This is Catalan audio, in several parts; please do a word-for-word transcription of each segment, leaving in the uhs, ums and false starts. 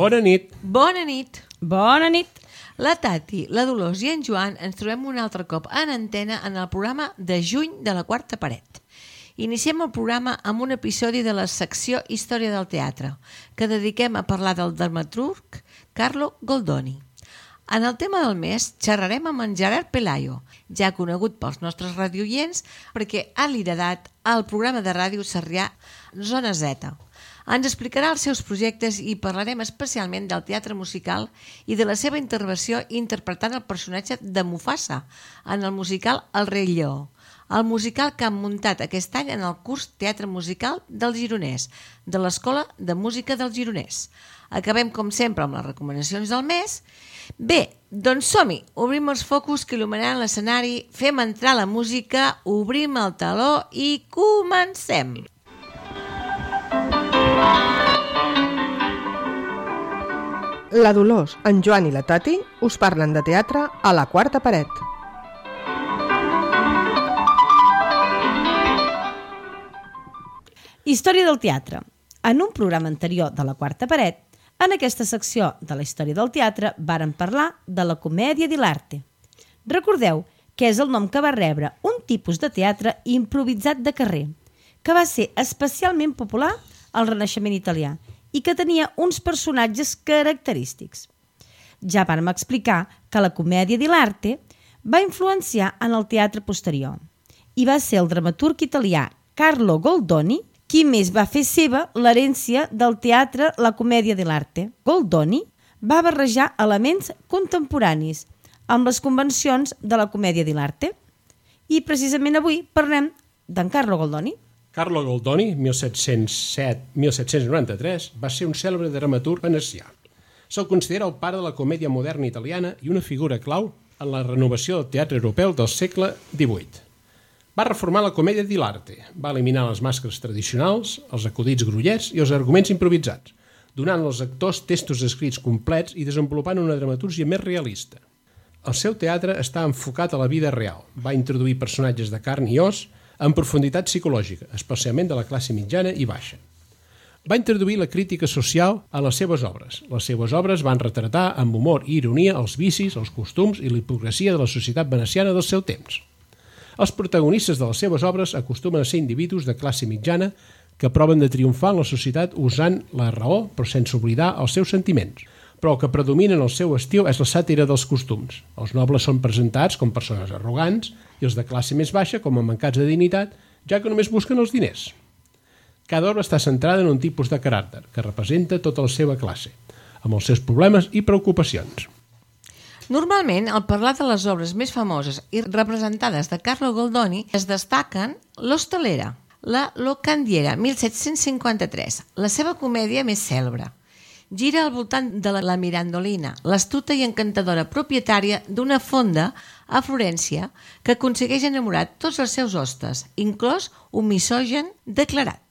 Bona nit. Bona nit. Bona nit. La Tati, la Dolors i en Joan ens trobem un altre cop en antena en el programa de juny de la Quarta Paret. Iniciem el programa amb un episodi de la secció Història del Teatre, que dediquem a parlar del dramaturg Carlo Goldoni. En el tema del mes xerrarem amb en Gerard Pelayo, ja conegut pels nostres radioients perquè ha liderat el programa de ràdio sarrià Zona Z. Ens explicarà els seus projectes i parlarem especialment del teatre musical i de la seva intervenció interpretant el personatge de Mufasa en el musical El rei lleó, el musical que han muntat aquest any en el curs Teatre Musical del Gironès, de l'Escola de Música del Gironès. Acabem, com sempre, amb les recomanacions del mes. Bé, doncs som-hi, obrim els focus que il·luminaran l'escenari, fem entrar la música, obrim el teló i comencem! La Dolors, en Joan i la Tati us parlen de teatre a la Quarta Paret. Història del teatre. En un programa anterior de la Quarta Paret, en aquesta secció de la història del teatre varen parlar de la comèdia dell'arte. Recordeu que és el nom que va rebre un tipus de teatre improvisat de carrer, que va ser especialment popular al Renaixement italià i que tenia uns personatges característics. Ja vam explicar que la comèdia dell'arte va influenciar en el teatre posterior i va ser el dramaturg italià Carlo Goldoni qui més va fer seva l'herència del teatre la comèdia dell'arte. Goldoni va barrejar elements contemporanis amb les convencions de la comèdia dell'arte i precisament avui parlem d'en Carlo Goldoni. Carlo Goldoni, mil set-cents set a mil set-cents noranta-tres, va ser un cèlebre dramaturg venecià. Se'l considera el pare de la comèdia moderna italiana i una figura clau en la renovació del teatre europeu del segle divuit. Va reformar la comèdia dell'arte, va eliminar les màscares tradicionals, els acudits grollers i els arguments improvisats, donant als actors textos escrits complets i desenvolupant una dramatúrgia més realista. El seu teatre està enfocat a la vida real, va introduir personatges de carn i os en profunditat psicològica, especialment de la classe mitjana i baixa. Va introduir la crítica social a les seves obres. Les seves obres van retratar amb humor i ironia els vicis, els costums i la hipocresia de la societat veneciana del seu temps. Els protagonistes de les seves obres acostumen a ser individus de classe mitjana que proven de triomfar en la societat usant la raó però sense oblidar els seus sentiments. Però el que predomina en el seu estil és la sàtira dels costums. Els nobles són presentats com persones arrogants i els de classe més baixa com a mancats de dignitat, ja que només busquen els diners. Cada obra està centrada en un tipus de caràcter que representa tota la seva classe, amb els seus problemes i preocupacions. Normalment, al parlar de les obres més famoses i representades de Carlo Goldoni, es destaquen L'Hostalera, la Locandiera, mil set-cents cinquanta-tres, la seva comèdia més cèlebre. Gira al voltant de la Mirandolina, l'astuta i encantadora propietària d'una fonda a Florència que aconsegueix enamorar tots els seus hostes, inclòs un misògen declarat.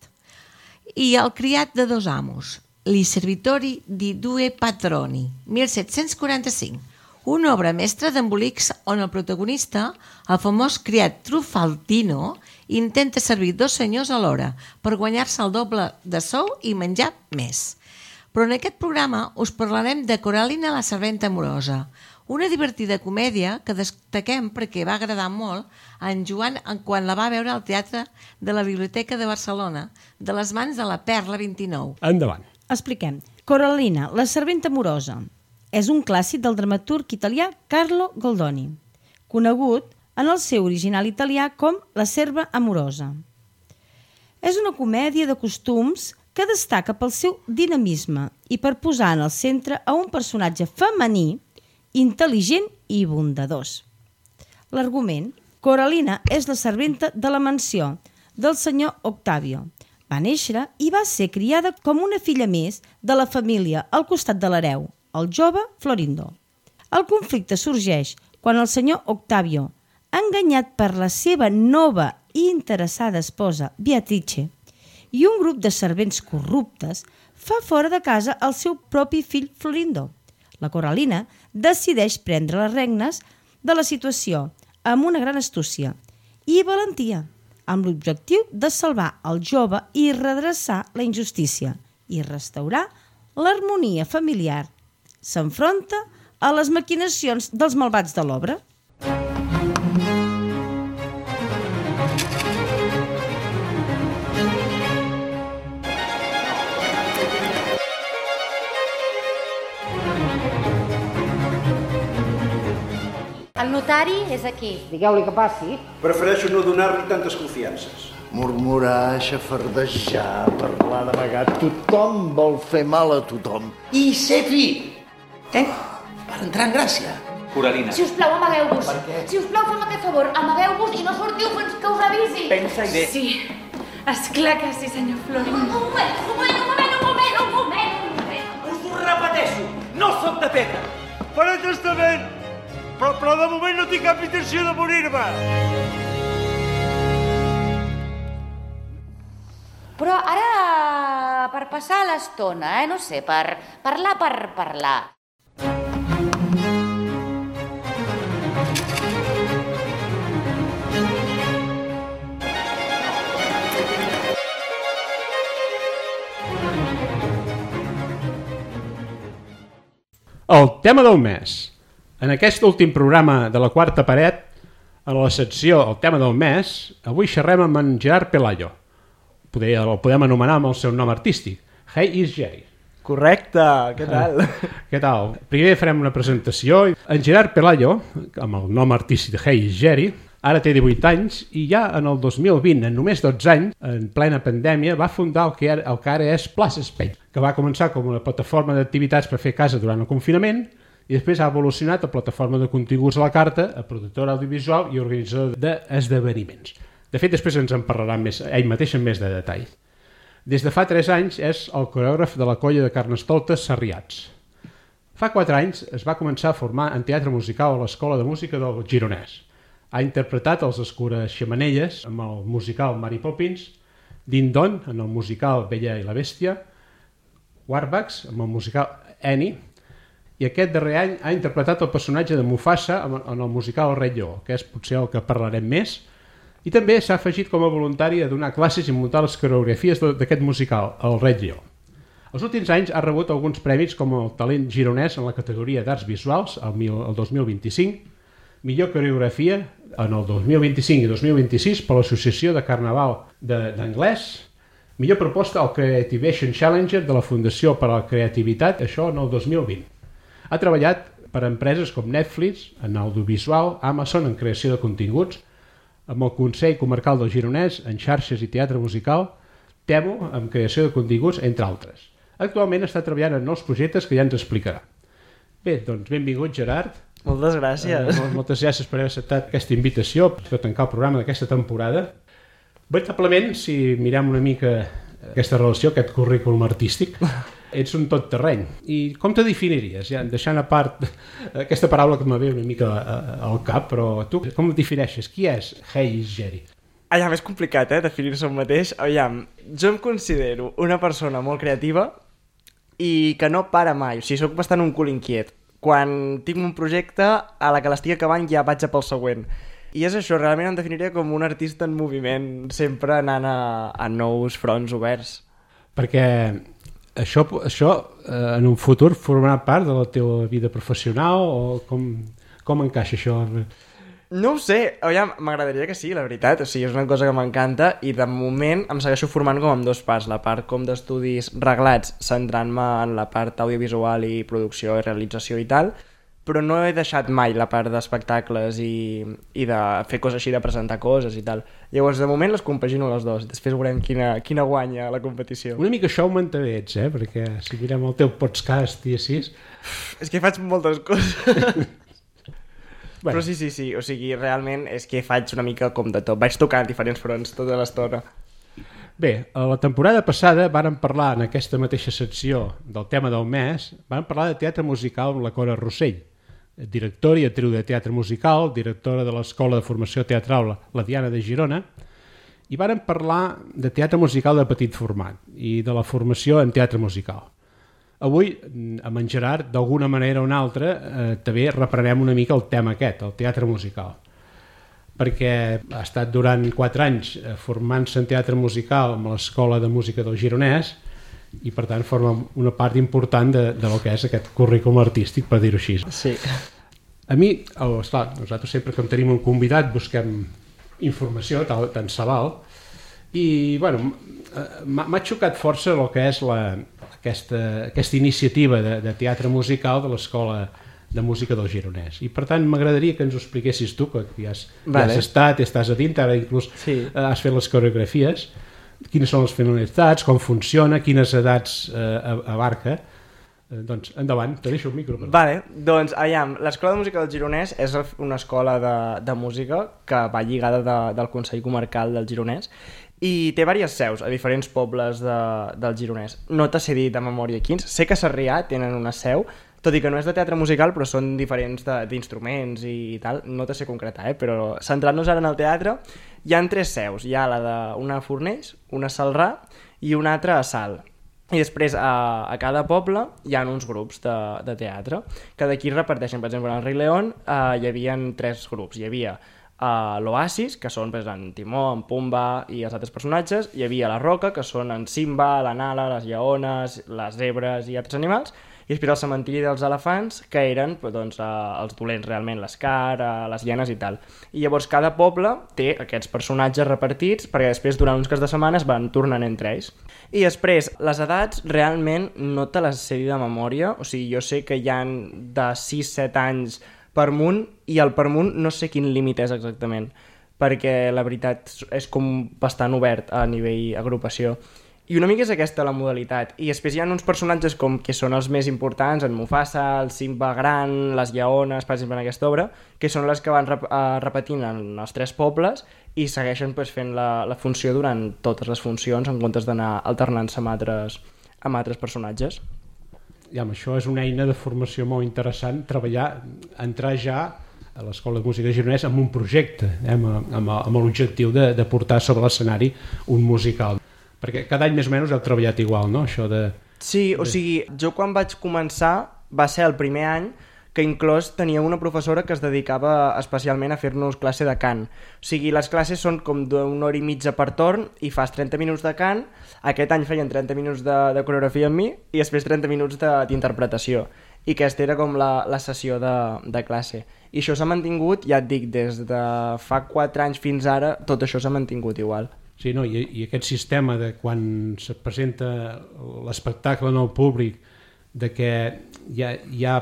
I el criat de dos amos, Li servitori di due patroni, mil set-cents quaranta-cinc, una obra mestra d'embolics on el protagonista, el famós criat Trufaldino, intenta servir dos senyors alhora per guanyar-se el doble de sou i menjar més. Però en aquest programa us parlarem de Coralina la serventa amorosa, una divertida comèdia que destaquem perquè va agradar molt a en Joan quan la va veure al Teatre de la Biblioteca de Barcelona, de les mans de la Perla vint-i-nou. Endavant. Expliquem. Coralina, la serventa amorosa, és un clàssic del dramaturg italià Carlo Goldoni, conegut en el seu original italià com La serva amorosa. És una comèdia de costums que destaca pel seu dinamisme i per posar en el centre a un personatge femení, intel·ligent i bondadós. L'argument: Coralina és la serventa de la mansió del senyor Octavio. Va néixer i va ser criada com una filla més de la família al costat de l'hereu, el jove Florindo. El conflicte sorgeix quan el senyor Octavio, enganyat per la seva nova i interessada esposa Beatrice, i un grup de servents corruptes, fa fora de casa el seu propi fill Florindo. La Coralina decideix prendre les regnes de la situació amb una gran astúcia i valentia, amb l'objectiu de salvar el jove i redreçar la injustícia i restaurar l'harmonia familiar s'enfronta a les maquinacions dels malvats de l'obra. El notari és aquí. Digueu-li que passi. Prefereixo no donar-li tantes confiances. Murmurar, xafardejar, parlar d'amagat. Tothom vol fer mal a tothom. I ser fi. Eh? Per entrar en gràcia. Coralina. Si us plau, amagueu-vos. Per què? Si us plau, fem aquest favor. Amagueu-vos i no sortiu fins que us avisi. Pensa-hi bé. Sí, esclar que sí, senyor Florin. Un moment, un moment, un moment, un moment, un moment, un moment. Us ho repeteixo, no sóc de pedra. Faré testament, però, però de moment no tinc cap intenció de morir-me. Però ara, per passar l'estona, eh, no sé, per parlar per parlar. El tema del mes. En aquest últim programa de la quarta paret, a la secció El tema del mes, avui xerrem amb en Gerard Pelayo. Poder, el podem anomenar amb el seu nom artístic, Hey is Jerry. Correcte, què tal? Què tal? Primer farem una presentació. En Gerard Pelayo, amb el nom artístic de Hey is Jerry, ara té divuit anys i ja en el dos mil vint, en només dotze anys, en plena pandèmia, va fundar el que ara, el que ara és Plaça Espai, que va començar com una plataforma d'activitats per fer casa durant el confinament i després ha evolucionat a plataforma de continguts a la carta, a productora audiovisual i organitzador d'esdeveniments. De fet, després ens en parlarà més, ell mateix en més de detall. Des de fa tres anys és el coreògraf de la colla de Carnestoltes Sarriats. Fa quatre anys es va començar a formar en teatre musical a l'Escola de Música del Gironès. Ha interpretat els Escures Xemenelles amb el musical Mary Poppins, Din Don en el musical Bella i la Bèstia, Warbucks amb el musical Annie, i aquest darrer any ha interpretat el personatge de Mufasa en el musical El Rei Lleó, que és potser el que parlarem més, i també s'ha afegit com a voluntari a donar classes i muntar les coreografies d'aquest musical, El Rei Lleó. Els últims anys ha rebut alguns premis com el Talent Gironès en la categoria d'Arts Visuals el dos mil vint-i-cinc, millor coreografia en el dos mil vint-i-cinc i dos mil vint-i-sis per l'Associació de Carnaval d'Anglès, millor proposta al Creativation Challenger de la Fundació per a la Creativitat, això en el dos mil vint. Ha treballat per a empreses com Netflix, en audiovisual, Amazon en creació de continguts, amb el Consell Comarcal del Gironès en xarxes i teatre musical, Temo en creació de continguts, entre altres. Actualment està treballant en nous projectes que ja ens explicarà. Bé, doncs benvingut Gerard. Moltes gràcies. Eh, moltes gràcies per haver acceptat aquesta invitació per tancar el programa d'aquesta temporada. Veritablement, si mirem una mica aquesta relació, aquest currículum artístic, ets un tot terreny. I com te definiries? Ja, deixant a part aquesta paraula que m'ha ve una mica al cap, però tu com defineixes? Qui és Hey is Jerry? Aviam, és complicat, eh, definir-se un mateix. Aviam, jo em considero una persona molt creativa i que no para mai. O sigui, soc bastant un cul inquiet. Quan tinc un projecte, a la que l'estic acabant ja vaig a pel següent. I és això, realment em definiria com un artista en moviment, sempre anant a, a nous fronts oberts. Perquè això, això eh, en un futur formarà part de la teva vida professional o com, com encaixa això? No ho sé, aviam, m'agradaria que sí, la veritat, o sigui, és una cosa que m'encanta i de moment em segueixo formant com en dos parts, la part com d'estudis reglats, centrant-me en la part audiovisual i producció i realització i tal, però no he deixat mai la part d'espectacles i, i de fer coses així, de presentar coses i tal. Llavors, de moment les compagino les dues, després veurem quina, quina guanya la competició. Una mica showmantadets, eh? Perquè si mirem el teu podcast i així... És que faig moltes coses... Bueno. Però sí, sí, sí, o sigui, realment és que faig una mica com de tot. Vaig tocant diferents fronts tota l'estona. Bé, a la temporada passada vàrem parlar en aquesta mateixa secció del tema del mes, vàrem parlar de teatre musical amb la Cora Rossell, directora i actriu de teatre musical, directora de l'Escola de Formació Teatral La Diana de Girona, i vàrem parlar de teatre musical de petit format i de la formació en teatre musical. Avui, amb en Gerard, d'alguna manera o una altra, eh, també reprenem una mica el tema aquest, el teatre musical. Perquè ha estat durant quatre anys eh, formant-se en teatre musical amb l'Escola de Música del Gironès i per tant forma una part important de, de lo que és aquest currículum artístic, per dir-ho així. Sí. A mi, oh, esclar, nosaltres sempre que tenim un convidat busquem informació, tal, tant se val, i bueno, m'ha xocat força el que és la, aquesta, aquesta iniciativa de, de teatre musical de l'Escola de Música del Gironès, i per tant m'agradaria que ens ho expliquessis tu, que ja has, vale. ja has estat, estàs a dintre, ara inclús sí. has fet les coreografies, quines són les finalitats, com funciona, quines edats eh, abarca. Eh, doncs endavant, te deixo el micro. Però. Vale, doncs aviam, l'Escola de Música del Gironès és una escola de, de música que va lligada de, del Consell Comarcal del Gironès i té diverses seus a diferents pobles de, del Gironès. No t'ha sé dir de memòria quins, sé que a Sarrià tenen una seu, tot i que no és de teatre musical, però són diferents d'instruments i, i tal, no te sé concretar, eh? Però centrant-nos ara en el teatre, hi ha tres seus, hi ha la d'una a Fornells, una a Celrà i una altra a Salt. I després a, a cada poble hi ha uns grups de, de teatre, que d'aquí reparteixen, per exemple, en el Rei León eh, hi havia tres grups, hi havia uh, l'Oasis, que són pues, en Timó, en Pumba i els altres personatges, hi havia la Roca, que són en Simba, la Nala, les lleones, les zebres i altres animals, i després el cementiri dels elefants, que eren doncs, els dolents realment, l'Escar, les hienes i tal. I llavors cada poble té aquests personatges repartits perquè després durant uns cas de setmanes van tornant entre ells. I després, les edats realment no te les sé dir de memòria, o sigui, jo sé que hi ha de sis a set anys per munt i el per munt no sé quin límit és exactament, perquè la veritat és com bastant obert a nivell agrupació. I una mica és aquesta la modalitat. I després hi ha uns personatges com que són els més importants, en Mufasa, el Simba gran, les lleones, per exemple, en aquesta obra, que són les que van rep uh, repetint en els tres pobles i segueixen pues, fent la, la funció durant totes les funcions en comptes d'anar alternant-se amb altres, amb altres personatges. Ja, això és una eina de formació molt interessant, treballar, entrar ja a l'Escola de Música de Gironès amb un projecte, eh, amb, amb, amb l'objectiu de, de portar sobre l'escenari un musical. Perquè cada any més o menys heu treballat igual, no? Això de... Sí, o sigui, jo quan vaig començar va ser el primer any que inclús tenia una professora que es dedicava especialment a fer-nos classe de cant. O sigui, les classes són com d'una hora i mitja per torn i fas trenta minuts de cant, aquest any feien trenta minuts de, de coreografia amb mi i després trenta minuts d'interpretació. I aquesta era com la, la sessió de, de classe. I això s'ha mantingut, ja et dic, des de fa quatre anys fins ara, tot això s'ha mantingut igual. Sí, no, i, i aquest sistema de quan se presenta l'espectacle al públic, de que hi ha, hi ha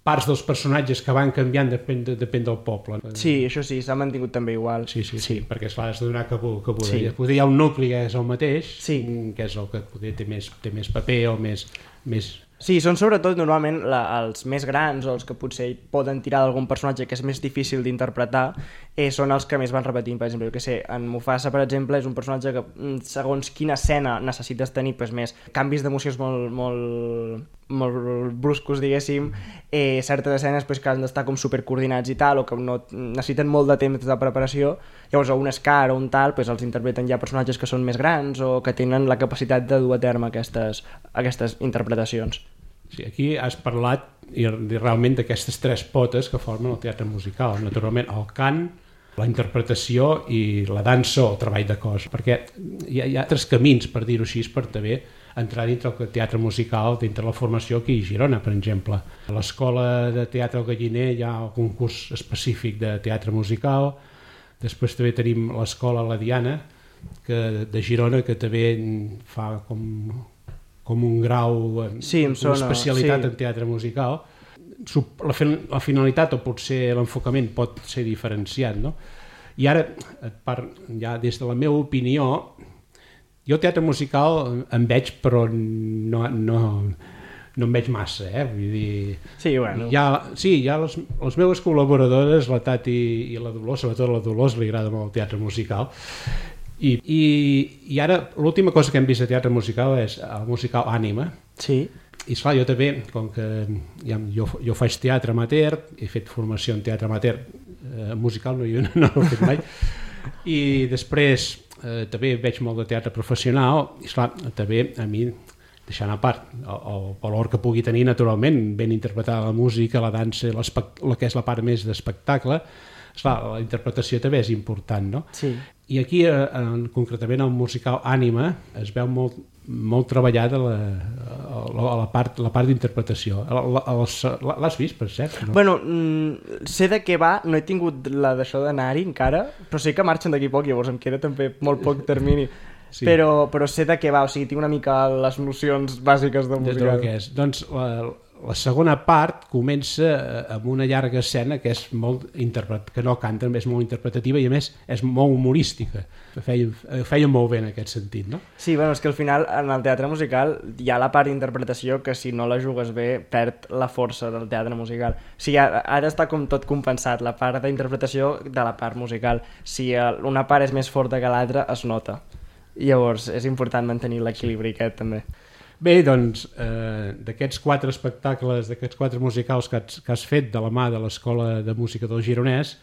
parts dels personatges que van canviant depèn, de, depèn del poble. Sí, això sí, s'ha mantingut també igual. Sí, sí, sí, sí, perquè esclar, has de donar cabuda. Sí. Poder hi ha un nucli que és el mateix, sí. que és el que poder té més, té més paper o més... més... Sí, són sobretot normalment la, els més grans o els que potser poden tirar d'algun personatge que és més difícil d'interpretar, eh, són els que més van repetint. Per exemple, jo que sé, en Mufasa, per exemple, és un personatge que segons quina escena necessites tenir pues, més canvis d'emocions molt, molt, molt bruscos, diguéssim, eh, certes escenes pues, que han d'estar com supercoordinats i tal, o que no, necessiten molt de temps de preparació. Llavors, un Scar o un tal, pues, els interpreten ja personatges que són més grans o que tenen la capacitat de dur a terme aquestes, aquestes interpretacions. Sí, aquí has parlat i, i realment d'aquestes tres potes que formen el teatre musical. Naturalment, el cant, la interpretació i la dansa o el treball de cos, perquè hi ha, hi ha altres camins, per dir-ho així, per també entrar dintre el teatre musical, dintre la formació aquí a Girona, per exemple. A l'Escola de Teatre al Galliner hi ha un concurs específic de teatre musical, després també tenim l'Escola La Diana, que, de Girona, que també fa com... com un grau, sí, una sona, especialitat sí. en teatre musical. La, la finalitat o potser l'enfocament pot ser diferenciat, no? I ara, per, ja des de la meva opinió, jo teatre musical en veig, però no, no, no en veig massa, eh? Vull dir... Sí, bueno. Hi ha, sí, hi ha les, les meves col·laboradores, la Tati i la Dolors, sobretot la Dolors li agrada molt el teatre musical, I, i, i ara l'última cosa que hem vist de teatre musical és el musical Ànima. Sí. I esclar, jo també, com que ja, jo, jo faig teatre amateur, he fet formació en teatre amateur eh, musical, no, jo no, no l'he fet mai, i després eh, també veig molt de teatre professional, i esclar, també a mi, deixant a part el, el valor que pugui tenir naturalment, ben interpretar la música, la dansa, la que és la part més d'espectacle, esclar, la interpretació també és important, no? Sí. I aquí, en, concretament, el musical Ànima es veu molt, molt treballat a la, a la part, la part d'interpretació. L'has vist, per cert? No? Bueno, mm, sé de què va, no he tingut la d'això d'anar-hi encara, però sé que marxen d'aquí poc, llavors em queda també molt poc termini. Sí. Però, però sé de què va, o sigui, tinc una mica les nocions bàsiques del musical. De que és. Doncs la, la segona part comença amb una llarga escena que és molt interpret, que no canta, és molt interpretativa i a més és molt humorística. Feia, feia molt bé en aquest sentit, no? Sí, bueno, és que al final en el teatre musical hi ha la part d'interpretació que si no la jugues bé perd la força del teatre musical. O sigui, ara està com tot compensat, la part d'interpretació de la part musical. Si una part és més forta que l'altra, es nota. Llavors és important mantenir l'equilibri aquest també. Bé, doncs, eh, d'aquests quatre espectacles, d'aquests quatre musicals que has, que has fet de la mà de l'Escola de Música del Gironès,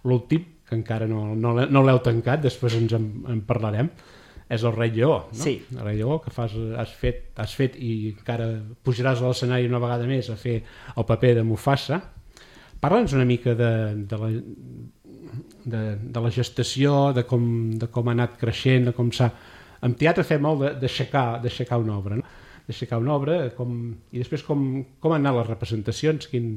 l'últim, que encara no, no, no l'heu tancat, després ens en, en parlarem, és el Rei Lleó, no? Sí. El Rei Lleó, que fas, has, fet, has fet i encara pujaràs a l'escenari una vegada més a fer el paper de Mufasa. Parla'ns una mica de, de la... De, de la gestació, de com, de com ha anat creixent, de com s'ha... En teatre fem molt d'aixecar d'aixecar una obra, no? D'aixecar una obra com... i després com, com han anat les representacions, quin...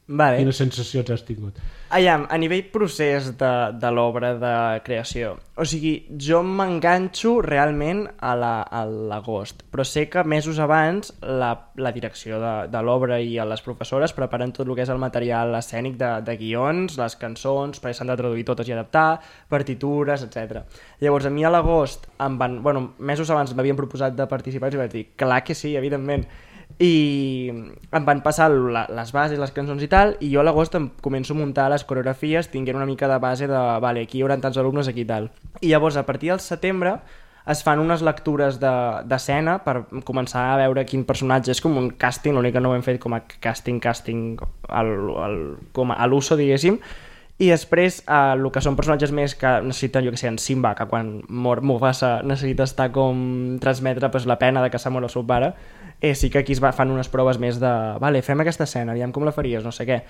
Vale. Quines sensacions has tingut? Aviam, a nivell procés de, de l'obra de creació, o sigui, jo m'enganxo realment a l'agost, però sé que mesos abans la, la direcció de, de l'obra i a les professores preparen tot el que és el material escènic de, de guions, les cançons, perquè s'han de traduir totes i adaptar, partitures, etcètera. Llavors, a mi a l'agost, em van, bueno, mesos abans m'havien proposat de participar i vaig dir, clar que sí, evidentment, i em van passar la, les bases, les cançons i tal, i jo a l'agost em començo a muntar les coreografies tinguent una mica de base de, vale, aquí hi haurà tants alumnes, aquí i tal. I llavors a partir del setembre es fan unes lectures d'escena de, per començar a veure quin personatge és, com un càsting, l'únic que no ho hem fet com a càsting, càsting al, al, com a l'uso, diguéssim, i després eh, el que són personatges més que necessiten, jo que sé, en Simba, que quan mor Mufasa necessita estar com transmetre pues, la pena de que s'ha mort el seu pare, eh, sí que aquí es va, fan unes proves més de vale, fem aquesta escena, aviam com la faries, no sé què.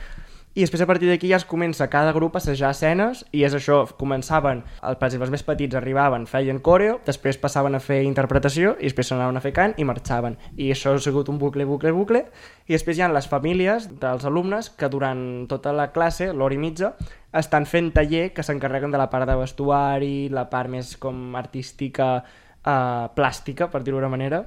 I després a partir d'aquí ja es comença cada grup a assajar escenes i és això, començaven, el, per exemple, els més petits arribaven, feien coreo, després passaven a fer interpretació i després s'anaven a fer cant i marxaven. I això ha sigut un bucle, bucle, bucle. I després hi ha les famílies dels alumnes que durant tota la classe, l'hora i mitja, estan fent taller que s'encarreguen de la part de vestuari, la part més com artística, eh, plàstica, per dir-ho d'una manera,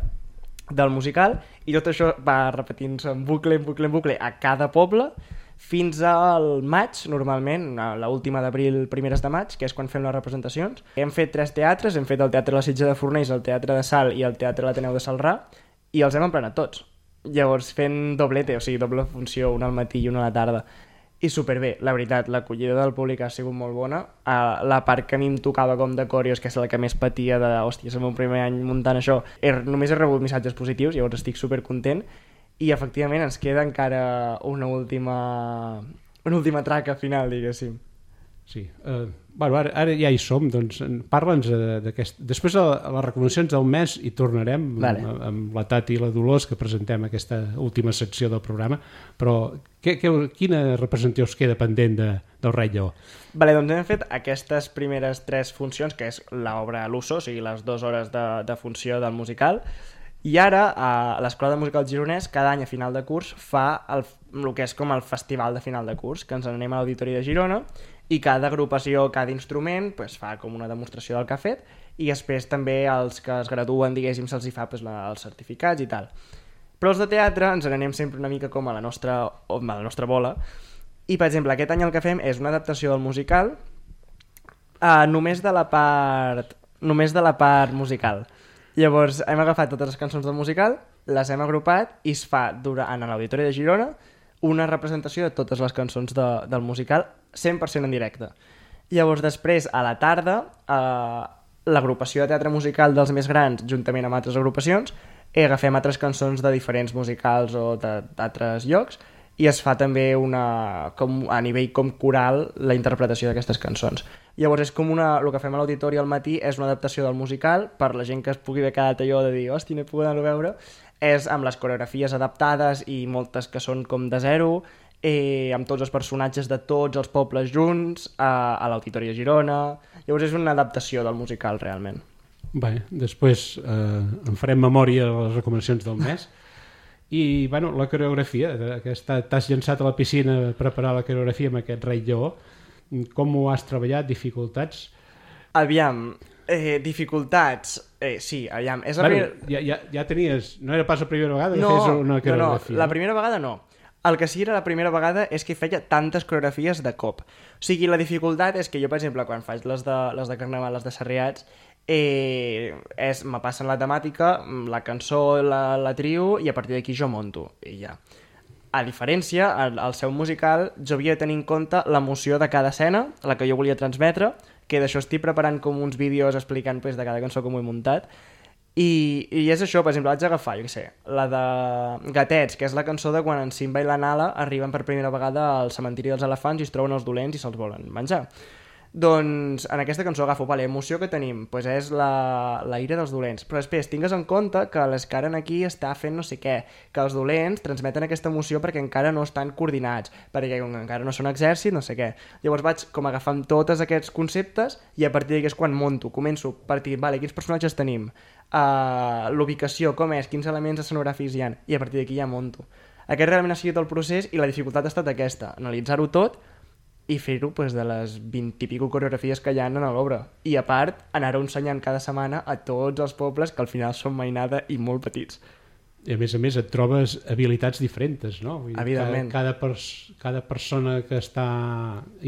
del musical, i tot això va repetint-se en bucle, en bucle, en bucle a cada poble, fins al maig, normalment, l'última d'abril, primeres de maig, que és quan fem les representacions. Hem fet tres teatres, hem fet el Teatre de la Sitja de Fornells, el Teatre de Salt i el Teatre de l'Ateneu de Celrà, i els hem emplenat tots. Llavors fent doblete, o sigui, doble funció, una al matí i una a la tarda. I superbé, la veritat, l'acollida del públic ha sigut molt bona. Uh, la part que a mi em tocava com de coreos, que és la que més patia de, hòstia, és el meu primer any muntant això, he, només he rebut missatges positius, llavors estic supercontent. I efectivament ens queda encara una última una última traca final, diguéssim. Sí, uh, bueno, ara, ara ja hi som, doncs parla'ns d'aquest... Després a, a les recomanacions del mes hi tornarem, vale. amb, amb la Tati i la Dolors, que presentem aquesta última secció del programa, però que, que, quina representació us queda pendent de, del Rei Lleó? Vale, doncs hem fet aquestes primeres tres funcions, que és l'obra a l'uso, o sigui, les dues hores de, de funció del musical, i ara a l'Escola de Música del Gironès cada any a final de curs fa el, el que és com el festival de final de curs, que ens anem a l'Auditori de Girona, i cada agrupació, cada instrument pues, fa com una demostració del que ha fet, i després també els que es graduen, diguéssim, se'ls hi fa pues, la, els certificats i tal. Però els de teatre ens n'anem sempre una mica com a la nostra, a la nostra bola, i per exemple aquest any el que fem és una adaptació del musical uh, només de la part només de la part musical. Llavors hem agafat totes les cançons del musical, les hem agrupat i es fa durant, en l'Auditori de Girona una representació de totes les cançons de, del musical cent per cent en directe. Llavors després a la tarda eh, l'agrupació de teatre musical dels més grans juntament amb altres agrupacions eh, agafem altres cançons de diferents musicals o d'altres llocs i es fa també una, com, a nivell com coral la interpretació d'aquestes cançons. Llavors és com una, el que fem a l'auditori al matí és una adaptació del musical per la gent que es pugui haver quedat allò de dir hòstia, no he pogut anar a veure, és amb les coreografies adaptades i moltes que són com de zero eh, amb tots els personatges de tots els pobles junts, a, a l'Auditori de Girona. Llavors és una adaptació del musical, realment. Bé, després eh, en farem memòria de les recomanacions del mes. I, bueno, la coreografia, que t'has llançat a la piscina a preparar la coreografia amb aquest Rei Lleó. Com ho has treballat? Dificultats? Aviam, eh, dificultats... Eh, sí, aviam... És la bueno, primera... ja, ja, ja tenies... No era pas la primera vegada que no, feies una coreografia? No, no, la primera vegada no. El que sí era la primera vegada és que feia tantes coreografies de cop. O sigui, la dificultat és que jo, per exemple, quan faig les de, les de Carnaval, les de Sarriats, eh, és, me passen la temàtica, la cançó la, la trio i a partir d'aquí jo monto i ja. A diferència, al, al seu musical jo havia de tenir en compte l'emoció de cada escena, la que jo volia transmetre, que d'això estic preparant com uns vídeos explicant pues, de cada cançó com ho he muntat. I, i és això, per exemple, vaig agafar, jo què sé, la de Gatets, que és la cançó de quan en Simba i la Nala arriben per primera vegada al cementiri dels elefants i es troben els dolents i se'ls volen menjar. Doncs en aquesta cançó agafo, vale, emoció que tenim, pues és la, la ira dels dolents, però després tingues en compte que l'Escaren aquí està fent no sé què, que els dolents transmeten aquesta emoció perquè encara no estan coordinats, perquè encara no són exèrcit, no sé què. Llavors vaig com agafant tots aquests conceptes i a partir d'aquí és quan monto, començo a partir, vale, quins personatges tenim, uh, l'ubicació, com és, quins elements escenogràfics hi ha, i a partir d'aquí ja monto. Aquest realment ha sigut el procés i la dificultat ha estat aquesta, analitzar-ho tot i fer-ho pues, de les vint i pico coreografies que hi ha en l'obra. I a part, anar-ho ensenyant cada setmana a tots els pobles que al final són mainada i molt petits. I a més a més et trobes habilitats diferents, no? Vull dir, evidentment. Cada, cada, pers cada persona que està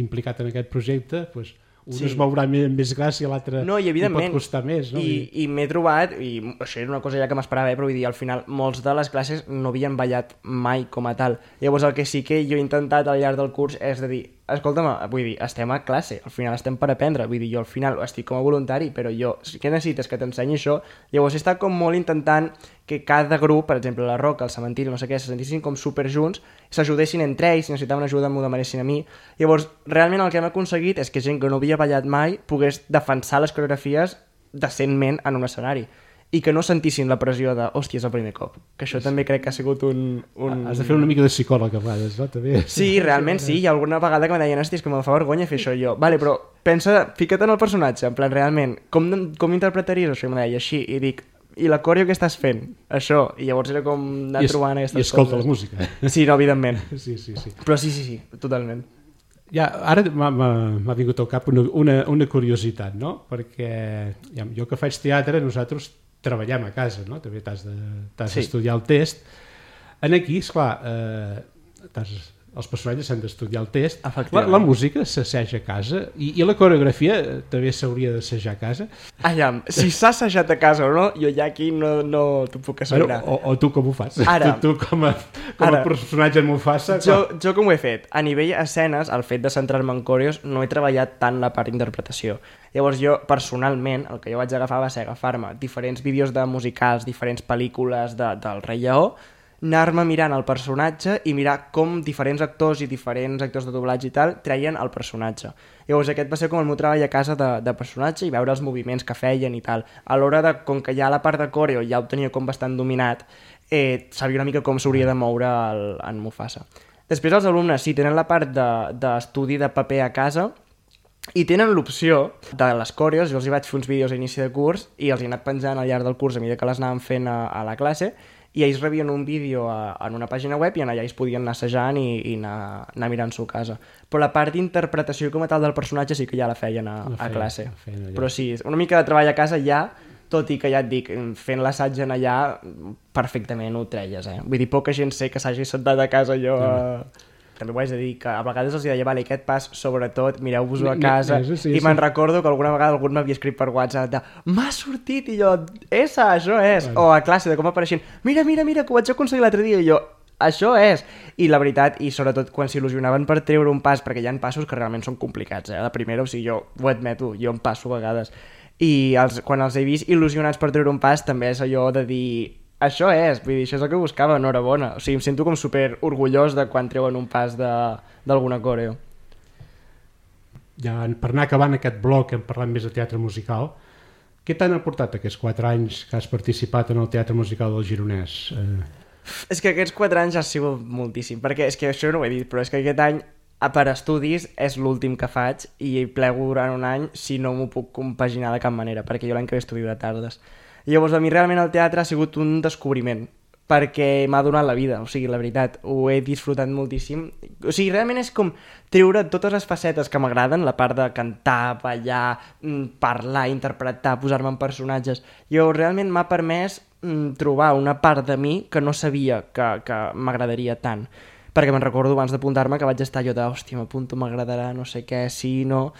implicat en aquest projecte, pues, un sí. es mourà més, més gràcia, l'altre no, i pot costar més. No? I, i m'he trobat, i això era una cosa ja que m'esperava, eh, però vull dir, al final molts de les classes no havien ballat mai com a tal. Llavors el que sí que jo he intentat al llarg del curs és de dir, escolta'm, vull dir, estem a classe, al final estem per aprendre, vull dir, jo al final estic com a voluntari, però jo, què necessites que t'ensenyi això? Llavors he estat com molt intentant que cada grup, per exemple, la Roca, el cementiri, no sé què, se sentissin com superjunts, s'ajudessin entre ells, si necessitaven ajuda m'ho demanessin a mi. Llavors, realment el que hem aconseguit és que gent que no havia ballat mai pogués defensar les coreografies decentment en un escenari i que no sentissin la pressió de, hòstia, és el primer cop. Que això sí. també crec que ha sigut un, un... Has de fer una mica de psicòleg a vegades, no? També. Sí, realment sí. Hi ha alguna vegada que em deien, hòstia, és que me fa vergonya fer això jo. Vale, però pensa, fica't en el personatge, en plan, realment, com, com interpretaries això? I em deia així, i dic, i la coreo que estàs fent? Això. I llavors era com anar I es, trobant aquestes coses. I escolta coses. La música. Sí, no, evidentment. Sí, sí, sí. Però sí, sí, sí, totalment. Ja, ara m'ha vingut al cap una, una, una curiositat, no? Perquè ja, jo que faig teatre, nosaltres treballem a casa, no? També t'has d'estudiar sí. el test. En aquí, esclar, eh, els personatges s'han d'estudiar el test. La, la música s'assaja a casa i, i la coreografia també s'hauria d'assajar a casa. Aviam, si s'ha assajat a casa o no, jo ja aquí no, no t'ho puc assegurar. Bueno, o, o tu com ho fas? Ara, tu, tu com a, com a personatge en Mufasa? Jo, jo com ho he fet? A nivell escenes, el fet de centrar-me en coreos, no he treballat tant la part d'interpretació. Llavors jo, personalment, el que jo vaig agafar va ser agafar-me diferents vídeos de musicals, diferents pel·lícules de, del Rei Lleó, anar-me mirant el personatge i mirar com diferents actors i diferents actors de doblatge i tal treien el personatge. Llavors aquest va ser com el meu treball a casa de, de personatge i veure els moviments que feien i tal. A l'hora de, com que ja la part de coreo ja ho tenia com bastant dominat, eh, sabia una mica com s'hauria de moure el, en Mufasa. Després els alumnes sí tenen la part d'estudi de, de paper a casa i tenen l'opció de les coreos. Jo els hi vaig fer uns vídeos a inici de curs i els he anat penjant al llarg del curs a mesura que les anàvem fent a, a la classe, i ells rebien un vídeo a, en una pàgina web i allà ells podien anar assajant i, i anar, anar mirant-s'ho a casa. Però la part d'interpretació com a tal del personatge sí que ja la feien a, la feien, a classe. Feien Però sí, una mica de treball a casa ja, tot i que ja et dic, fent l'assaig en allà perfectament ho treies, eh? Vull dir, poca gent sé que s'hagi sentat a casa allò a... També ho haig de dir, que a vegades els deia, vale, aquest pas, sobretot, mireu-vos-ho a casa, sí, sí, i me'n sí. recordo que alguna vegada algú m'havia escrit per WhatsApp de m'ha sortit, i jo, essa, això és, bueno. O a classe, de com apareixent, mira, mira, mira, que ho vaig aconseguir l'altre dia, i jo, això és, i la veritat, i sobretot quan s'il·lusionaven per treure un pas, perquè hi ha passos que realment són complicats, eh, la primera, o sigui, jo ho admeto, jo em passo a vegades, i els, quan els he vist il·lusionats per treure un pas, també és allò de dir... Això és, vull dir, això és el que buscava, enhorabona. O sigui, em sento com super orgullós de quan treuen un pas d'alguna coreo. Ja, per anar acabant aquest bloc, hem parlat més de teatre musical. Què t'han aportat aquests quatre anys que has participat en el teatre musical del Gironès? Eh... És que aquests quatre anys ha sigut moltíssim, perquè és que això no ho he dit, però és que aquest any per estudis és l'últim que faig i plego durant un any si no m'ho puc compaginar de cap manera, perquè jo l'any que ve estudio de tardes. Llavors, a mi realment el teatre ha sigut un descobriment, perquè m'ha donat la vida, o sigui, la veritat, ho he disfrutat moltíssim. O sigui, realment és com treure totes les facetes que m'agraden, la part de cantar, ballar, parlar, interpretar, posar-me en personatges. Llavors, realment m'ha permès trobar una part de mi que no sabia que, que m'agradaria tant. Perquè me'n recordo abans d'apuntar-me que vaig estar jo de, hòstia, m'apunto, m'agradarà, no sé què, sí, no...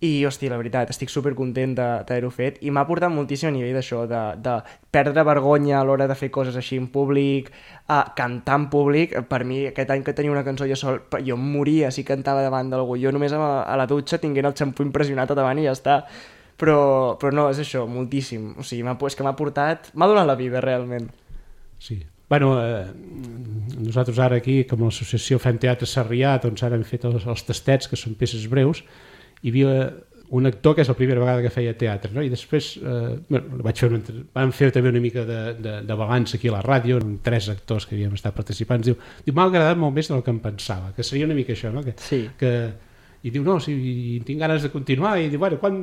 I, hòstia, la veritat, estic supercontent d'haver-ho fet i m'ha portat moltíssim a nivell d'això, de, de perdre vergonya a l'hora de fer coses així en públic, a cantar en públic. Per mi, aquest any que tenia una cançó jo sol, jo em moria si cantava davant d'algú. Jo només a, a la dutxa tinguent el xampú impressionat a davant i ja està. Però, però no, és això, moltíssim. O sigui, és que m'ha portat... M'ha donat la vida, realment. Sí. Bueno, eh, nosaltres ara aquí, com a l'associació Fem Teatre Sarrià, doncs ara hem fet els, els tastets, que són peces breus. Hi havia un actor que és la primera vegada que feia teatre, no? I després eh, bueno, vaig fer una, vam fer també una mica de, de, de balanç aquí a la ràdio, amb tres actors que havíem estat participant. Diu, diu m'ha agradat molt més del que em pensava, que seria una mica això, no? Que, sí. Que, i diu, no, sí, tinc ganes de continuar, i diu, bueno, quan,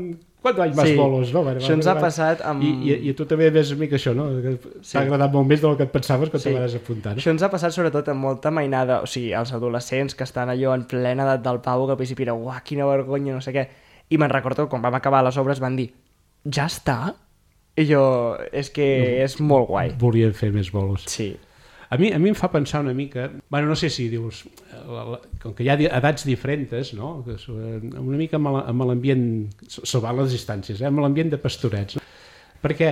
quan vaig més sí. bolos, no? Bueno, això ens ha passat amb... I, i, i tu també ves una mica això, no? Que t'ha sí. agradat molt més del que et pensaves quan sí. te vas apuntar. No? Això ens ha passat sobretot amb molta mainada, o sigui, els adolescents que estan allò en plena edat del pavo, que al principi era, uah, quina vergonya, no sé què. I me'n recordo, quan vam acabar les obres, van dir, ja està? I jo, és que no, és molt guai. Volien fer més bolos. Sí. A mi, a mi em fa pensar una mica... Bueno, no sé si dius... La, la, com que hi ha edats diferents, no? Una mica amb l'ambient... Salvant les distàncies, eh? Amb l'ambient de pastorets. No? Perquè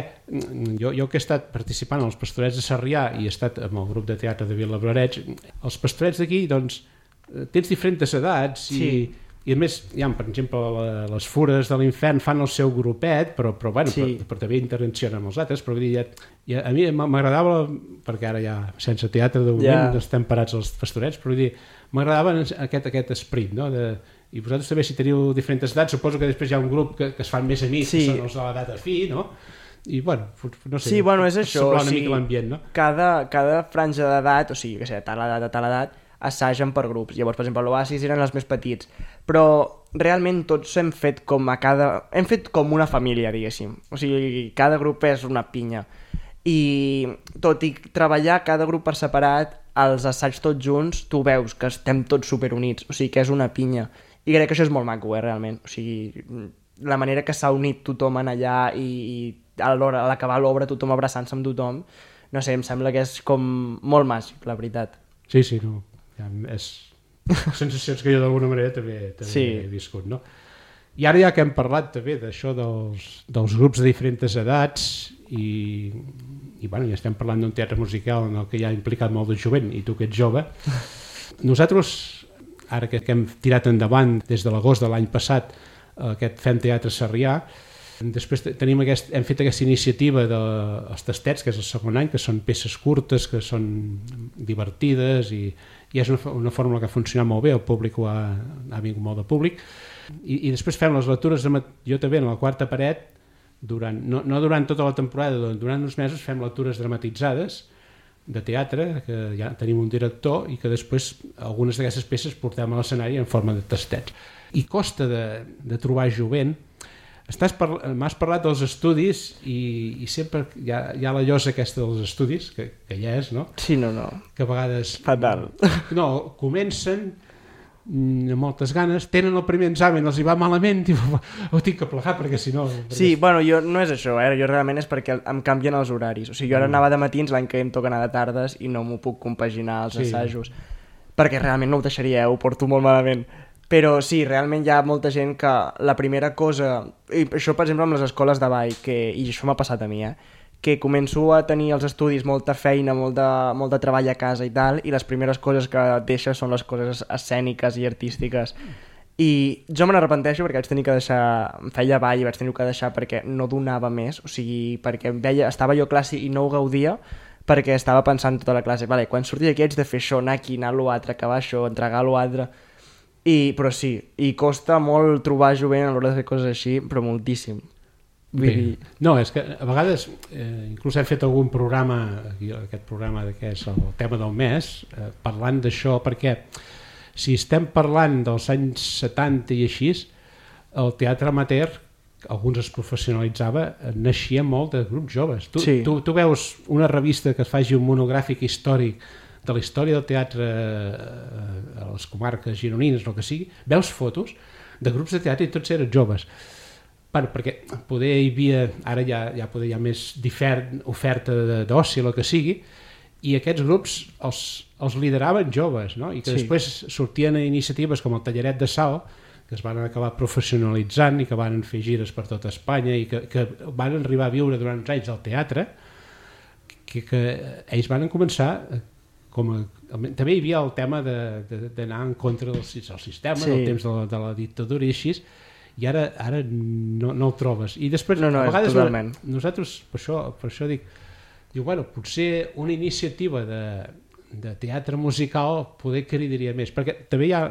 jo, jo que he estat participant als Pastorets de Sarrià i he estat amb el grup de teatre de Vilablareix, els pastorets d'aquí, doncs, tens diferents edats i... Sí. I a més, ja, per exemple, les Fures de l'Infern fan el seu grupet, però, però, bueno, sí. però, però també interaccionen amb els altres, però dir, ja, ja, a mi m'agradava, perquè ara ja sense teatre de moment ja. estem parats als Pastorets, però dir, m'agradava aquest, aquest esperit, no? De, i vosaltres també, si teniu diferents edats, suposo que després hi ha un grup que, que es fan més amics, sí. que són els de l'edat afí, no? I, bueno, no sé, sí, bueno, és això, una o sigui, mica l'ambient, no? Cada, cada franja d'edat, o sigui, que sé, tal edat a tal edat, assagen per grups. Llavors, per exemple, l'Oasis eren els més petits, però realment tots hem fet com a cada... hem fet com una família, diguéssim. O sigui, cada grup és una pinya. I tot i treballar cada grup per separat, els assaigs tots junts, tu veus que estem tots superunits, o sigui que és una pinya. I crec que això és molt maco, eh, realment. O sigui, la manera que s'ha unit tothom en allà i, i a l'hora, a l'acabar l'obra tothom abraçant-se amb tothom, no sé, em sembla que és com molt màgic, la veritat. Sí, sí, no... Ja, és sensacions que jo d'alguna manera també, també sí. he viscut, no? I ara ja que hem parlat també d'això dels, dels grups de diferents edats i, i bueno, ja estem parlant d'un teatre musical en el que ja ha implicat molt de jovent i tu que ets jove, nosaltres ara que, que hem tirat endavant des de l'agost de l'any passat aquest Fem Teatre Sarrià, després tenim aquest, hem fet aquesta iniciativa dels tastets, que és el segon any, que són peces curtes, que són divertides i, i és una, una fórmula que ha funcionat molt bé, el públic ho ha, ha vingut molt de públic i, i després fem les lectures de, jo també en la quarta paret durant, no, no durant tota la temporada, durant uns mesos fem lectures dramatitzades de teatre, que ja tenim un director i que després algunes d'aquestes peces portem a l'escenari en forma de tastets i costa de, de trobar jovent. M'has parlat dels estudis i, i sempre hi ha, hi ha la llosa aquesta dels estudis, que, que ja és, no? Sí, no, no. Que a vegades... Fatal. No, comencen amb moltes ganes, tenen el primer examen, els hi va malament, i ho tinc que plegar perquè si no... Perquè... Sí, bueno, jo no és això, eh? Jo realment és perquè em canvien els horaris. O sigui, jo ara anava de matins, l'any que em toca anar de tardes i no m'ho puc compaginar als sí. assajos. Perquè realment no ho deixaria, eh? Ho porto molt malament. Però sí, realment hi ha molta gent que la primera cosa, i això per exemple amb les escoles de ball, que, i això m'ha passat a mi, eh, que començo a tenir els estudis molta feina, molt de, molt de treball a casa i tal, i les primeres coses que deixes són les coses escèniques i artístiques. I jo me n'arrepenteixo perquè vaig tenir que deixar, em feia ball i vaig tenir que deixar perquè no donava més, o sigui, perquè veia, estava jo a classe i no ho gaudia, perquè estava pensant tota la classe, vale, quan surti d'aquí haig de fer això, anar aquí, anar a l'altre, acabar això, entregar l'altre... I, però sí, i costa molt trobar jovent a l'hora de fer coses així, però moltíssim. Vull dir... No, és que a vegades eh, inclús hem fet algun programa, aquí, aquest programa que és el tema del mes, eh, parlant d'això, perquè si estem parlant dels anys setanta i així, el teatre amateur, alguns es professionalitzava, naixia molt de grups joves. Tu, sí. tu, tu veus una revista que es faci un monogràfic històric de la història del teatre a les comarques gironines, el que sigui, veus fotos de grups de teatre i tots eren joves. Bueno, perquè poder hi havia, ara ja, ja poder hi ha més oferta d'oci, el que sigui, i aquests grups els, els lideraven joves, no? I que sí. després sortien iniciatives com el Tallaret de Sal, que es van acabar professionalitzant i que van fer gires per tota Espanya i que, que van arribar a viure durant uns anys al teatre, que, que ells van començar com a, també hi havia el tema d'anar en contra del, del sistema, sí. del temps de la, de la dictadura i així, i ara, ara no, no el trobes. I després, no, no, a vegades, totalment. Nosaltres, per això, per això dic, diu, bueno, potser una iniciativa de, de teatre musical poder cridaria més, perquè també hi ha,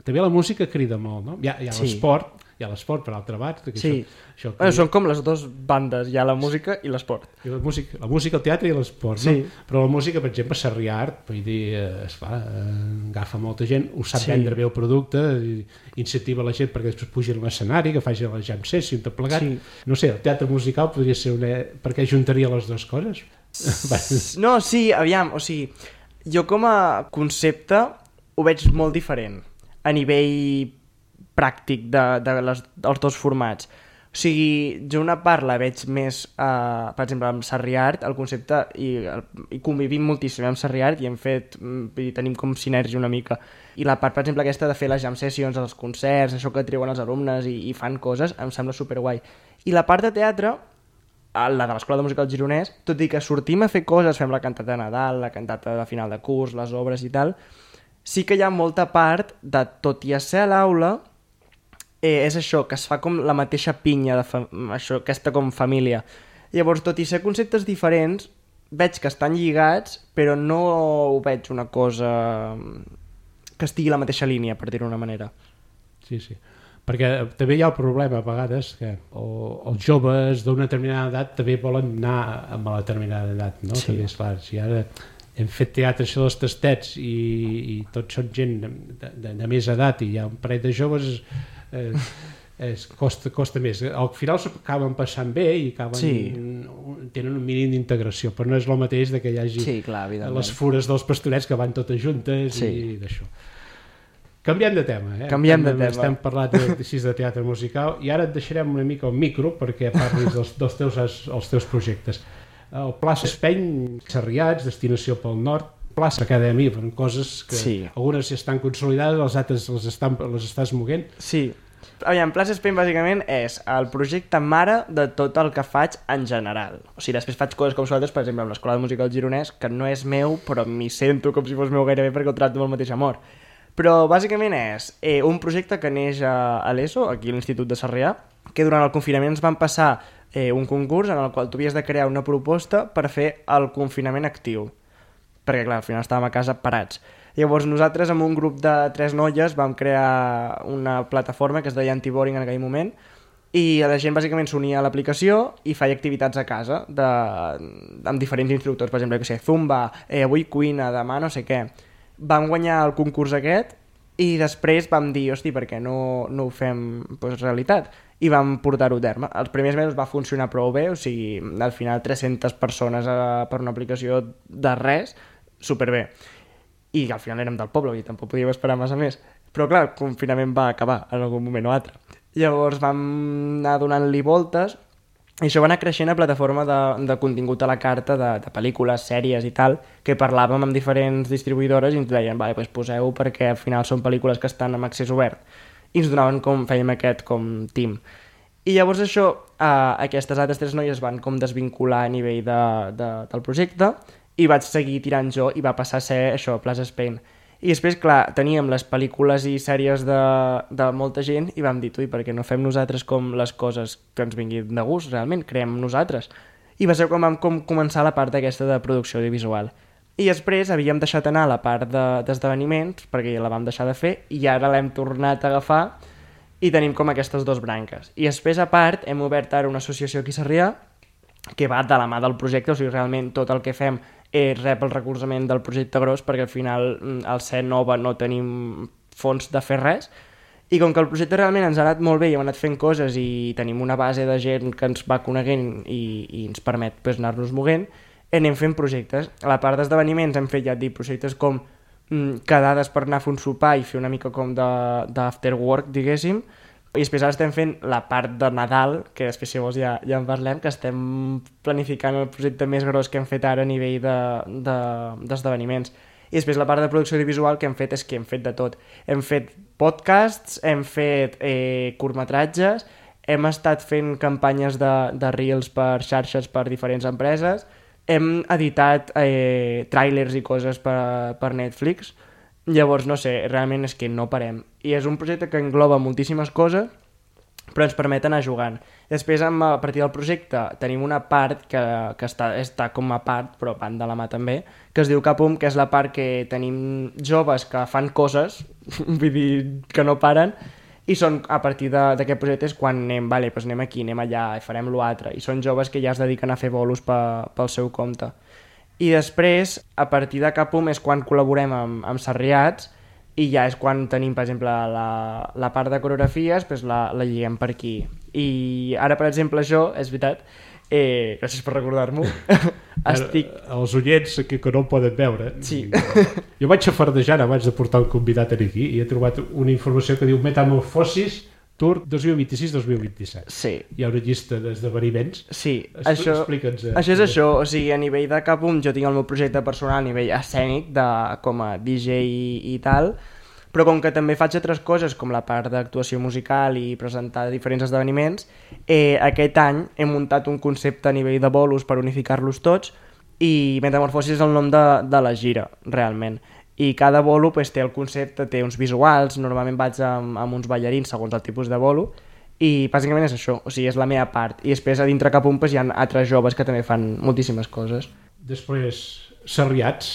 també la música crida molt, no? Hi ha, hi ha sí. l'esport, hi ha l'esport per altra banda. Sí, això, això bueno, són com les dues bandes, hi ha la música i l'esport. La música, la música, el teatre i l'esport, sí. no? Però la música, per exemple, Sarrià Art, vull dir, esclar, agafa molta gent, ho sap sí. vendre bé el producte, incentiva la gent perquè després pugi a l'escenari, que faci la jam session, tot plegat. Sí. No sé, el teatre musical podria ser una... perquè juntaria les dues coses. No, sí, aviam, o sigui, jo com a concepte ho veig molt diferent a nivell pràctic de, de les, dels dos formats. O sigui, jo una part la veig més, uh, per exemple, amb Sarrià Art, el concepte, i, el, i convivim moltíssim amb Sarrià Art i hem fet, i tenim com sinergia una mica. I la part, per exemple, aquesta de fer les jam sessions, els concerts, això que treuen els alumnes i, i fan coses, em sembla superguai. I la part de teatre, la de l'Escola de Música del Gironès, tot i que sortim a fer coses, fem la cantata de Nadal, la cantata de final de curs, les obres i tal, sí que hi ha molta part de, tot i a ser a l'aula, eh, és això, que es fa com la mateixa pinya, de fa... això, aquesta com família. Llavors, tot i ser conceptes diferents, veig que estan lligats, però no ho veig una cosa que estigui a la mateixa línia, per dir-ho d'una manera. Sí, sí. Perquè també hi ha el problema a vegades que o, els joves d'una determinada edat també volen anar amb la determinada edat, no? Sí. També és clar, si ara hem fet teatre això dels tastets i, i tots són gent de, de, de més edat i hi ha un parell de joves eh, es costa, costa més. Al final acaben passant bé i acaben, sí. tenen un mínim d'integració, però no és el mateix de que hi hagi sí, clar, les fures dels pastorets que van totes juntes sí. i d'això. Canviem de tema, eh? Canviem de tema. Estem parlant de, de, de teatre musical i ara et deixarem una mica el micro perquè parlis dels, dels teus, els teus projectes. El Plaça Espeny, Sarriats, Destinació pel Nord, Plaça Acadèmia, són coses que sí. algunes ja estan consolidades, les altres les, estan, les estàs moguent. Sí. Aviam, Plaça Espeny bàsicament és el projecte mare de tot el que faig en general. O sigui, després faig coses com vosaltres, per exemple, amb l'Escola de Música del Gironès, que no és meu, però m'hi sento com si fos meu gairebé perquè ho tracto amb el mateix amor. Però bàsicament és eh, un projecte que neix a, a l'ESO, aquí a l'Institut de Sarrià, que durant el confinament ens van passar eh, un concurs en el qual tu havies de crear una proposta per fer el confinament actiu. Perquè, clar, al final estàvem a casa parats. Llavors nosaltres, amb un grup de tres noies, vam crear una plataforma que es deia Antiboring en aquell moment i la gent bàsicament s'unia a l'aplicació i feia activitats a casa de, amb diferents instructors, per exemple, que sé, Zumba, eh, avui cuina, demà no sé què. Vam guanyar el concurs aquest i després vam dir, hosti, per què no, no ho fem pues, realitat? I vam portar-ho a terme. Els primers mesos va funcionar prou bé, o sigui, al final tres-centes persones a, per una aplicació de res, superbé. I al final érem del poble, i tampoc podíem esperar massa més. Però clar, el confinament va acabar en algun moment o altre. Llavors vam anar donant-li voltes i això va anar creixent a plataforma de, de contingut a la carta, de, de pel·lícules, sèries i tal, que parlàvem amb diferents distribuïdores i ens deien, vale, pues poseu perquè al final són pel·lícules que estan amb accés obert. I ens donaven com, fèiem aquest com team. I llavors això, eh, aquestes altres tres noies van com desvincular a nivell de, de, del projecte i vaig seguir tirant jo i va passar a ser això, Plaça Espeny. I després, clar, teníem les pel·lícules i sèries de, de molta gent i vam dir, ui, perquè no fem nosaltres com les coses que ens vinguin de gust, realment, creem nosaltres. I va ser com vam com començar la part aquesta de producció audiovisual. I després havíem deixat anar la part d'esdeveniments, de, perquè la vam deixar de fer, i ara l'hem tornat a agafar i tenim com aquestes dues branques. I després, a part, hem obert ara una associació aquí a Sarrià que va de la mà del projecte, o sigui, realment tot el que fem eh, rep el recolzament del projecte gros, perquè al final al ser nova no tenim fons de fer res, i com que el projecte realment ens ha anat molt bé i hem anat fent coses i tenim una base de gent que ens va coneguent i, i ens permet pues, anar-nos moguent, anem fent projectes. A la part d'esdeveniments hem fet, ja et dic, projectes com mm, quedades per anar a fer un sopar i fer una mica com d'after work, diguéssim, i després ara estem fent la part de Nadal, que després si vols ja, ja en parlem, que estem planificant el projecte més gros que hem fet ara a nivell d'esdeveniments. De, de, I després la part de producció audiovisual que hem fet és que hem fet de tot. Hem fet podcasts, hem fet eh, curtmetratges, hem estat fent campanyes de, de reels per xarxes per diferents empreses, hem editat eh, tràilers i coses per, per Netflix. Llavors, no sé, realment és que no parem. I és un projecte que engloba moltíssimes coses, però ens permet anar jugant. Després, a partir del projecte, tenim una part que, que està, està com a part, però van de la mà també, que es diu Capum, que és la part que tenim joves que fan coses, vull dir, que no paren, i són a partir d'aquest projecte és quan anem, vale, doncs anem aquí, anem allà, i farem l'altre, i són joves que ja es dediquen a fer bolos pe, pel seu compte. I després, a partir de Capum és quan col·laborem amb, amb Sarriats i ja és quan tenim, per exemple, la, la part de coreografies, doncs la, la lliguem per aquí. I ara, per exemple, jo, és veritat, eh, gràcies per recordar-m'ho, estic... Els oients que, que no em poden veure. Sí. Jo vaig a fardejant abans de portar un convidat aquí i he trobat una informació que diu Metamorfosis Tour dos mil vint-i-sis dos mil vint-i-set. Sí. Hi ha una llista d'esdeveniments. Sí, Expl això, explica'ns. Eh, això és això, o sigui, a nivell de Capum jo tinc el meu projecte personal a nivell escènic, de, com a D J i, i tal, però com que també faig altres coses, com la part d'actuació musical i presentar diferents esdeveniments, eh, aquest any he muntat un concepte a nivell de bolos per unificar-los tots i Metamorfosis és el nom de, de la gira, realment. I cada bolo pues, té el concepte, té uns visuals, normalment vaig amb, amb uns ballarins segons el tipus de bolo, i bàsicament és això, o sigui, és la meva part. I després a dintre Capum pues, hi ha altres joves que també fan moltíssimes coses. Després, Sarriats.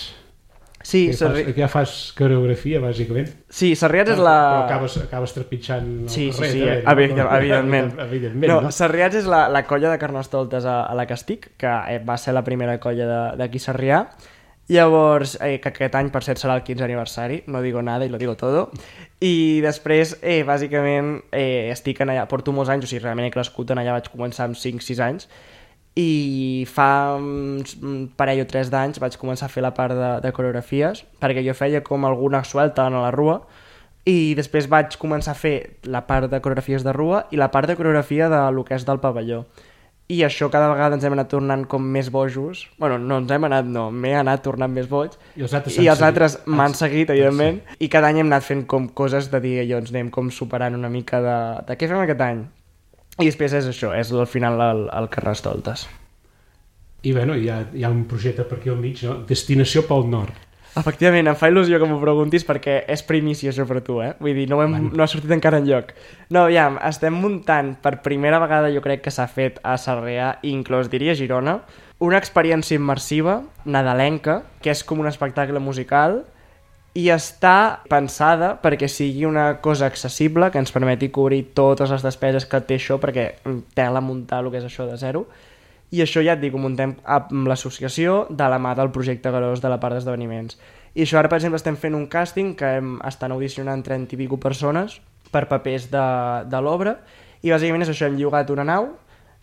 Sí, que Sarri... fas, que ja fas coreografia, bàsicament. Sí, Sarriats és la... Però acabes, acabes trepitjant el sí, carrer. Sí, sí, també, no? evidentment. evidentment, evidentment no, no? Sarriats és la, la colla de Carnestoltes a, a la que estic, que va ser la primera colla d'aquí Sarrià. Llavors, eh, que aquest any per cert serà el quinze aniversari, no digo nada i lo digo todo, i després eh, bàsicament eh, estic en allà, porto molts anys, o sigui, realment he crescut en allà, vaig començar amb cinc sis anys, i fa un parell o tres d'anys vaig començar a fer la part de, de coreografies, perquè jo feia com alguna suelta a la rua, i després vaig començar a fer la part de coreografies de rua i la part de coreografia de lo que és del pavelló. I això cada vegada ens hem anat tornant com més bojos. Bueno, no ens hem anat, no, m'he anat tornant més boig. I els altres, I els altres m'han seguit, evidentment. Sí. I cada any hem anat fent com coses de dir, jo ens anem com superant una mica de, de què fem aquest any. I després és això, és al final el, el Carnestoltes. I bueno, hi ha, hi ha un projecte per aquí al mig, no? Destinació pel Nord. Efectivament, em fa il·lusió que m'ho preguntis perquè és primícia això per tu, eh? Vull dir, no, hem, bueno. no ha sortit encara enlloc. No, aviam, estem muntant per primera vegada, jo crec que s'ha fet a Sarrià, inclús diria Girona, una experiència immersiva, nadalenca, que és com un espectacle musical i està pensada perquè sigui una cosa accessible, que ens permeti cobrir totes les despeses que té això, perquè tela muntar el que és això de zero. I això ja et dic, ho muntem amb l'associació de la mà del projecte gros de la part d'esdeveniments. I això ara, per exemple, estem fent un càsting que hem, estan audicionant trenta i pico persones per papers de, de l'obra i bàsicament és això, hem llogat una nau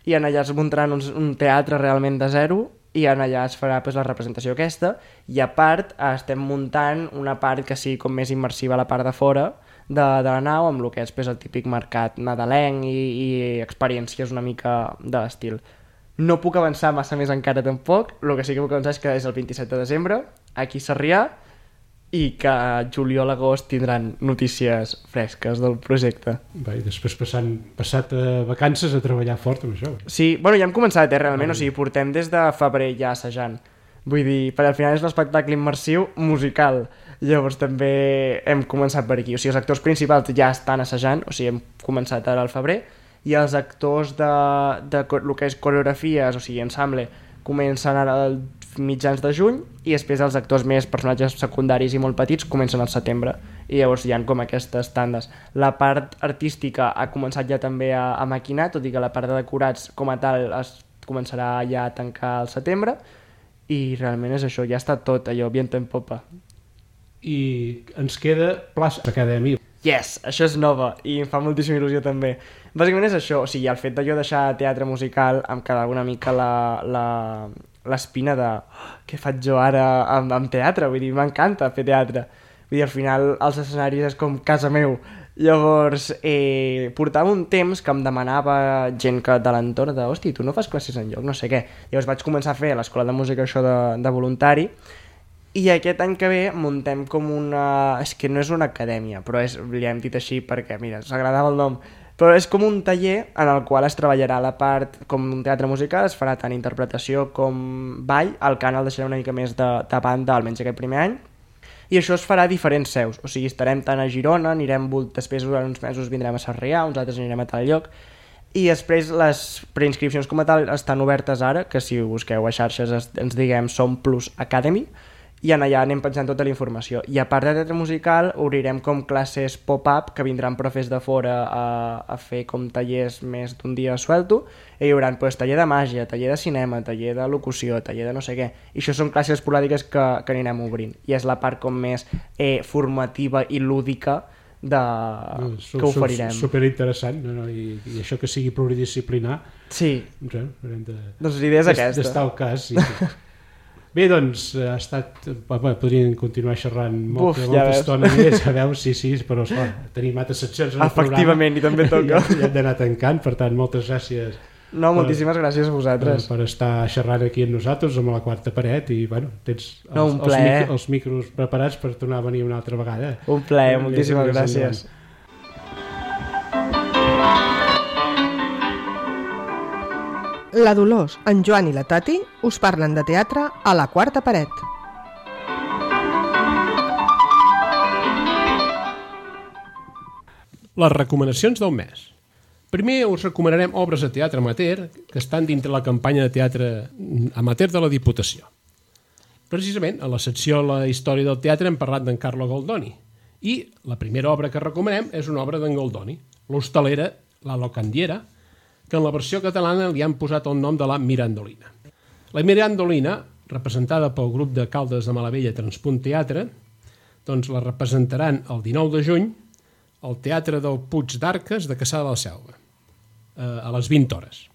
i en allà es muntaran un, un teatre realment de zero i en allà es farà pues, la representació aquesta i a part estem muntant una part que sigui com més immersiva a la part de fora de, de la nau amb el que és pues, el típic mercat nadalenc i, i experiències una mica de l'estil. No puc avançar massa més encara tampoc, el que sí que puc avançar és que és el vint-i-set de desembre, aquí a Sarrià, i que a juliol agost tindran notícies fresques del projecte. Va, i després passant, passat a vacances a treballar fort amb això. Sí, bueno, ja hem començat, eh, realment, o sigui, portem des de febrer ja assajant. Vull dir, per al final és l'espectacle immersiu musical, llavors també hem començat per aquí. O sigui, els actors principals ja estan assajant, o sigui, hem començat ara al febrer, i els actors de, de, de el que és coreografies, o sigui, ensemble, comencen ara el mitjans de juny, i després els actors més personatges secundaris i molt petits comencen al setembre, i llavors hi ha com aquestes tandes. La part artística ha començat ja també a, a maquinar, tot i que la part de decorats com a tal es començarà ja a tancar al setembre, i realment és això, ja està tot allò, viento en popa. I ens queda plaça d'acadèmia. Yes, això és nova i em fa moltíssima il·lusió també. Bàsicament és això, o sigui, el fet de jo deixar teatre musical em quedava una mica la, la, l'espina de oh, què faig jo ara amb, amb teatre, vull dir, m'encanta fer teatre. Vull dir, al final els escenaris és com casa meu. Llavors, eh, portava un temps que em demanava gent que de l'entorn de, hosti, tu no fas classes enlloc, no sé què. Llavors vaig començar a fer a l'escola de música això de, de voluntari, i aquest any que ve muntem com una... És que no és una acadèmia, però és, li hem dit així perquè, mira, s'agradava el nom, però és com un taller en el qual es treballarà la part com un teatre musical, es farà tant interpretació com ball, el cant el deixarà una mica més de, de banda, almenys aquest primer any, i això es farà a diferents seus, o sigui, estarem tant a Girona, anirem, després durant uns mesos vindrem a Sarrià, uns altres anirem a tal lloc, i després les preinscripcions com a tal estan obertes ara, que si busqueu a xarxes ens diguem Som Plus Academy, i en allà anem pensant tota la informació. I a part de teatre musical obrirem com classes pop-up que vindran profes de fora a, a fer com tallers més d'un dia suelto, i hi haurà pues, taller de màgia, taller de cinema, taller de locució, taller de no sé què, i això són classes esporàdiques que, que anirem obrint, i és la part com més eh, formativa i lúdica de... no, que oferirem. Superinteressant, no, no, i, i això que sigui pluridisciplinar, sí. No, de, doncs l'idea és aquesta. D'estar al cas, sí, sí. Bé, doncs, ha estat... Bé, podríem continuar xerrant molt, Uf, molta ja estona més, a veure, sí, sí, però esclar, tenim altres seccions en el Efectivament, programa. I també toca. Ja, ja hem d'anar tancant, per tant, moltes gràcies. No, per, moltíssimes gràcies a vosaltres. Per, per estar xerrant aquí amb nosaltres, amb la quarta paret, i, bueno, tens els, no, els, mic, els micros preparats per tornar a venir una altra vegada. Un plaer, eh, moltíssimes més, gràcies. Endavant. La Dolors, en Joan i la Tati us parlen de teatre a la quarta paret. Les recomanacions del mes. Primer us recomanarem obres de teatre amateur que estan dintre la campanya de teatre amateur de la Diputació. Precisament, a la secció La història del teatre hem parlat d'en Carlo Goldoni, i la primera obra que recomanem és una obra d'en Goldoni, l'hostalera La Locandiera, que en la versió catalana li han posat el nom de la Mirandolina. La Mirandolina, representada pel grup de Caldes de Malavella Transpunt Teatre, doncs la representaran el dinou de juny al Teatre del Puig d'Arques de Cassà de la Selva, a les vint hores.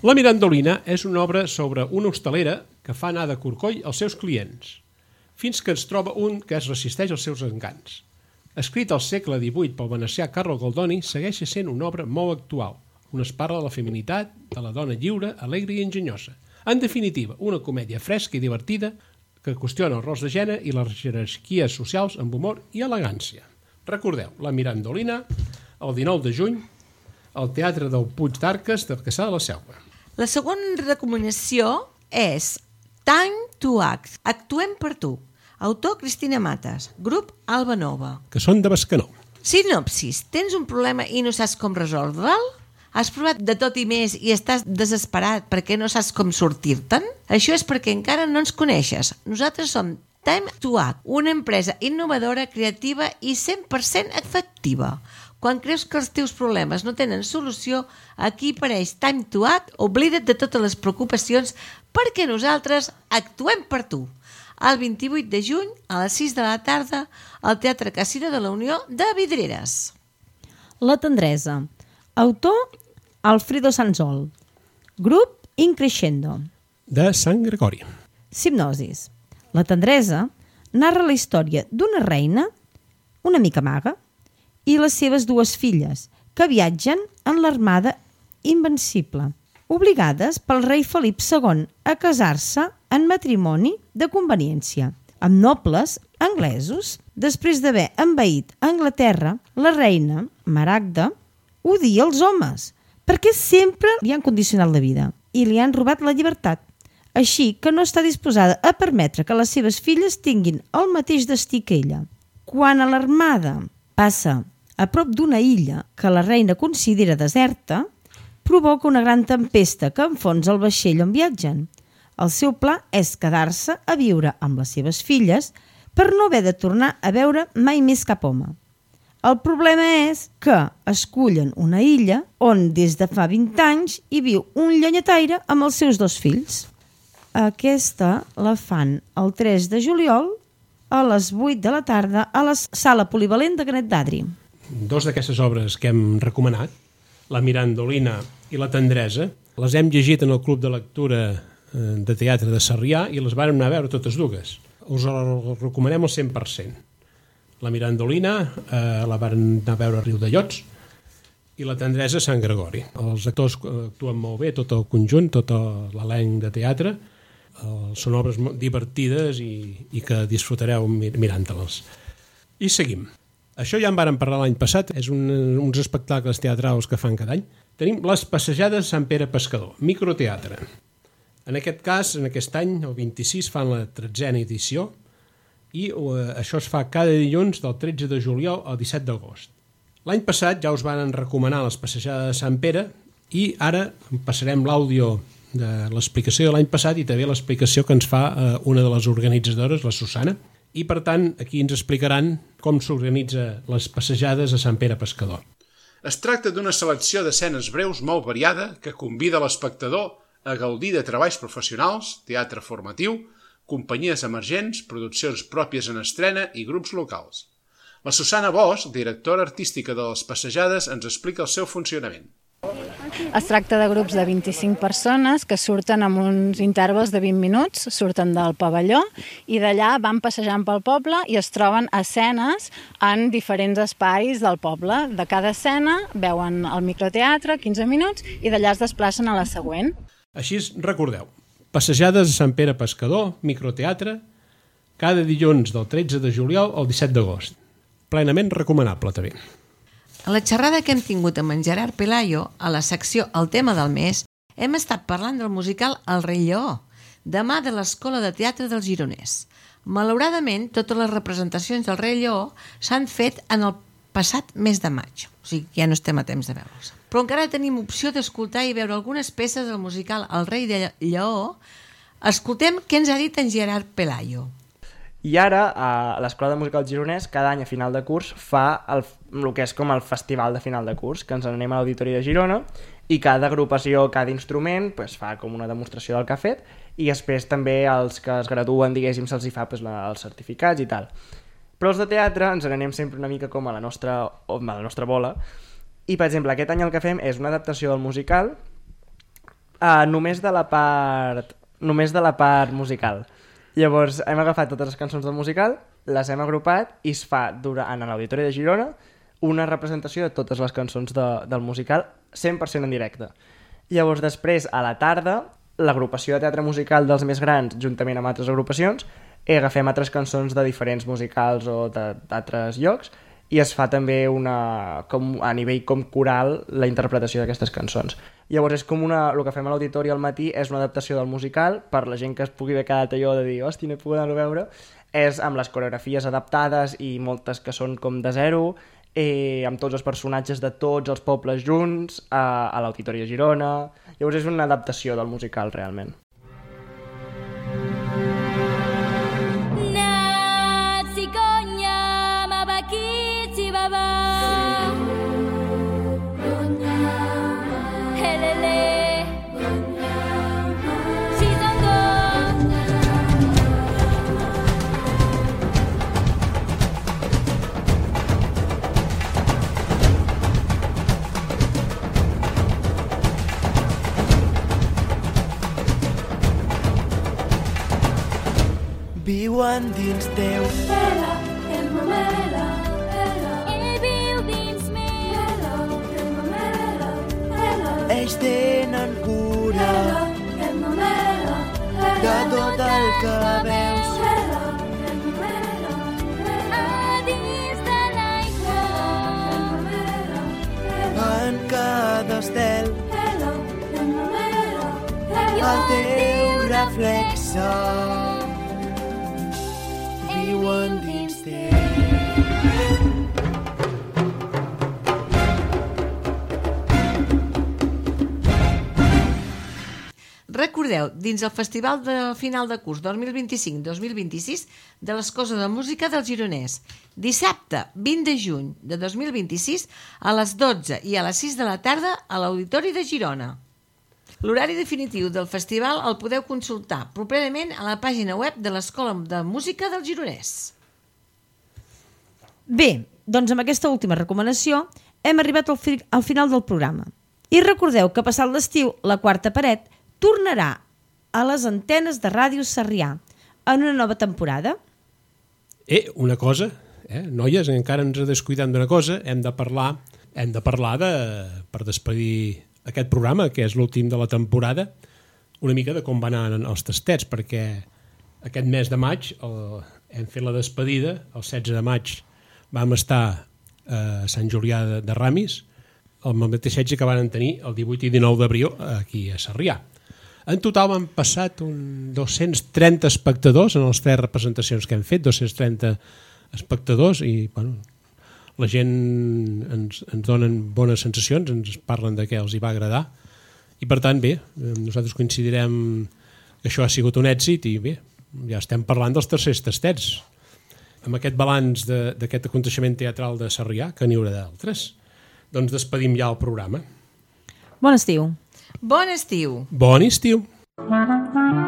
La Mirandolina és una obra sobre una hostalera que fa anar de corcoll als seus clients, fins que es troba un que es resisteix als seus encants. Escrit al segle divuit pel venecià Carlo Goldoni, segueix sent una obra molt actual, on es parla de la feminitat, de la dona lliure, alegre i enginyosa. En definitiva, una comèdia fresca i divertida que qüestiona els rols de gènere i les jerarquies socials amb humor i elegància. Recordeu, La Mirandolina, el dinou de juny, al Teatre del Puig d'Arques de Cassà de la Selva. La segona recomanació és Time to Act, Actuem per tu. Autor Cristina Matas, grup Alba Nova. Que són de Bescanó. Sinopsis, tens un problema i no saps com resoldre'l? Has provat de tot i més i estàs desesperat perquè no saps com sortir-te'n? Això és perquè encara no ens coneixes. Nosaltres som Time to Act, una empresa innovadora, creativa i cent per cent efectiva. Quan creus que els teus problemes no tenen solució, aquí apareix Time to Act, oblida't de totes les preocupacions perquè nosaltres actuem per tu. El vint-i-vuit de juny, a les sis de la tarda, al Teatre Casino de la Unió de Vidreres. La tendresa. Autor Alfredo Sanzol. Grup Increscendo. De Sant Gregori. Hipnosis. La tendresa narra la història d'una reina, una mica maga, i les seves dues filles, que viatgen en l'armada invencible, obligades pel rei Felip segon a casar-se en matrimoni de conveniència, amb nobles anglesos. Després d'haver envaït Anglaterra, la reina, Maragda, odia els homes, perquè sempre li han condicionat la vida i li han robat la llibertat, així que no està disposada a permetre que les seves filles tinguin el mateix destí que ella. Quan a l'armada passa a prop d'una illa que la reina considera deserta, provoca una gran tempesta que enfonsa el vaixell on viatgen. El seu pla és quedar-se a viure amb les seves filles per no haver de tornar a veure mai més cap home. El problema és que escullen una illa on des de fa vint anys hi viu un llenyataire amb els seus dos fills. Aquesta la fan el tres de juliol a les vuit de la tarda a la sala polivalent de Canet d'Adri. Dos d'aquestes obres que hem recomanat, La Mirandolina i La Tendresa, les hem llegit en el Club de Lectura de Teatre de Sarrià i les vàrem anar a veure totes dues. Us les recomanem al cent per cent. La Mirandolina eh, la varen anar a veure a Riudellots i La Tendresa a Sant Gregori. Els actors actuen molt bé, tot el conjunt, tot l'elenc de teatre. Eh, són obres divertides i, i que disfrutareu mirant-les. I seguim. Això ja en vàrem parlar l'any passat, és un, uns espectacles teatrals que fan cada any. Tenim les Passejades Sant Pere Pescador, microteatre. En aquest cas, en aquest any, el vint-i-sis, fan la tretzena edició i uh, això es fa cada dilluns del tretze de juliol al disset d'agost. L'any passat ja us van recomanar les Passejades de Sant Pere i ara passarem l'àudio de l'explicació de l'any passat i també l'explicació que ens fa uh, una de les organitzadores, la Susana, i per tant aquí ens explicaran com s'organitza les Passejades a Sant Pere Pescador. Es tracta d'una selecció d'escenes breus molt variada que convida l'espectador a gaudir de treballs professionals, teatre formatiu, companyies emergents, produccions pròpies en estrena i grups locals. La Susana Bosch, directora artística de les Passejades, ens explica el seu funcionament. Es tracta de grups de vint-i-cinc persones que surten amb uns intervals de vint minuts, surten del pavelló i d'allà van passejant pel poble i es troben escenes en diferents espais del poble. De cada escena veuen el microteatre, quinze minuts, i d'allà es desplacen a la següent. Així recordeu, Passejades a Sant Pere Pescador, microteatre, cada dilluns del tretze de juliol al disset d'agost. Plenament recomanable, també. A la xerrada que hem tingut amb en Gerard Pelayo, a la secció El tema del mes, hem estat parlant del musical El rei Lleó, demà de l'Escola de Teatre dels Gironès. Malauradament, totes les representacions del rei Lleó s'han fet en el passat mes de maig, o sigui, ja no estem a temps de veure'ls. Però encara tenim opció d'escoltar i veure algunes peces del musical El rei de Lleó. Escoltem què ens ha dit en Gerard Pelayo. I ara, a l'Escola de Música del Gironès, cada any a final de curs fa el, el que és com el festival de final de curs, que ens anem a l'Auditori de Girona, i cada agrupació, cada instrument, pues, fa com una demostració del que ha fet, i després també els que es graduen, diguéssim, se'ls hi fa pues, la, els certificats i tal. Però els de teatre ens n'anem sempre una mica com a la nostra, a la nostra bola, i per exemple, aquest any el que fem és una adaptació del musical uh, només de la part només de la part musical. Llavors hem agafat totes les cançons del musical, les hem agrupat i es fa durant l'Auditori de Girona una representació de totes les cançons de, del musical cent per cent en directe. Llavors després, a la tarda, l'agrupació de teatre musical dels més grans, juntament amb altres agrupacions, i agafem altres cançons de diferents musicals o d'altres llocs i es fa també una, com, a nivell com coral la interpretació d'aquestes cançons. Llavors és com una, el que fem a l'auditori al matí és una adaptació del musical per la gent que es pugui haver quedat allò de dir hosti, no he pogut anar a veure, és amb les coreografies adaptades i moltes que són com de zero, eh, amb tots els personatges de tots els pobles junts a, a l'Auditori de Girona. Llavors és una adaptació del musical realment. Viuen dins teu. Ela, el mamela, ela. Ell viu dins mi. Ela, el mamela, ela. Ells tenen cura. Ela, el mamela, ela. De tot el que veus. Ela, el mamela, ela. A dins de l'aigua. El mamela, ela. En cada estel. Ela, el mamela, ela. El teu reflexe. Viuen dins teu. Recordem recordeu, dins el Festival de final de curs dos mil vint-i-cinc dos mil vint-i-sis de l'Escola de Música del Gironès. Dissabte vint de juny de dos mil vint-i-sis a les dotze i a les sis de la tarda a l'Auditori de Girona. L'horari definitiu del festival el podeu consultar properament a la pàgina web de l'Escola de Música del Gironès. Bé, doncs amb aquesta última recomanació hem arribat al, fi al final del programa. I recordeu que passat l'estiu, la Quarta Paret tornarà a les antenes de Ràdio Sarrià en una nova temporada. Eh, una cosa, eh, noies, encara ens descuidem d'una cosa, hem de parlar, hem de parlar de, per despedir aquest programa, que és l'últim de la temporada, una mica de com van anar els tastets, perquè aquest mes de maig el, hem fet la despedida, el setze de maig vam estar a Sant Julià de, de Ramis, el mateix setge que van tenir el divuit i dinou d'abril aquí a Sarrià. En total han passat un dos-cents trenta espectadors en les tres representacions que hem fet, dos-cents trenta espectadors, i bueno, la gent ens, ens donen bones sensacions, ens parlen de què els hi va agradar, i per tant, bé, nosaltres coincidirem que això ha sigut un èxit i bé, ja estem parlant dels tercers tastets. Amb aquest balanç d'aquest aconteixement teatral de Sarrià, que n'hi haurà d'altres, doncs despedim ja el programa. Bon estiu. Bon estiu. Bon estiu. Thank you.